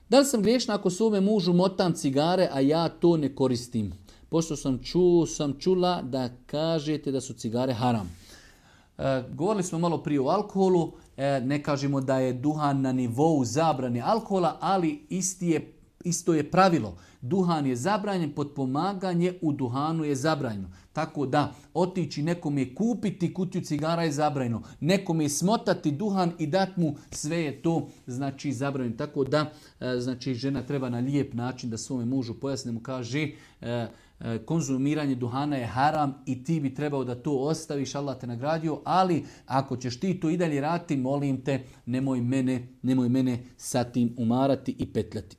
Da li sam griješna ako svome mužu motam cigare, a ja to ne koristim? Pošto sam čula da kažete da su cigare haram. Govorili smo malo prije o alkoholu, ne kažemo da je duhan na nivou zabrane alkohola, ali isto je pravilo. Duhan je zabranjen, potpomaganje u duhanu je zabranjeno. Tako da otići nekome kupiti kutiju cigara je zabranjeno. Nekome smotati duhan i dat mu, sve je to znači zabranjeno. Tako da znači žena treba na lijep način da svome mužu pojasni, mu kaže konzumiranje duhana je haram i ti bi trebao da to ostaviš, Allah te nagradio, ali ako ćeš ti to i dalje raditi, molim te, nemoj mene sa tim umarati i petljati.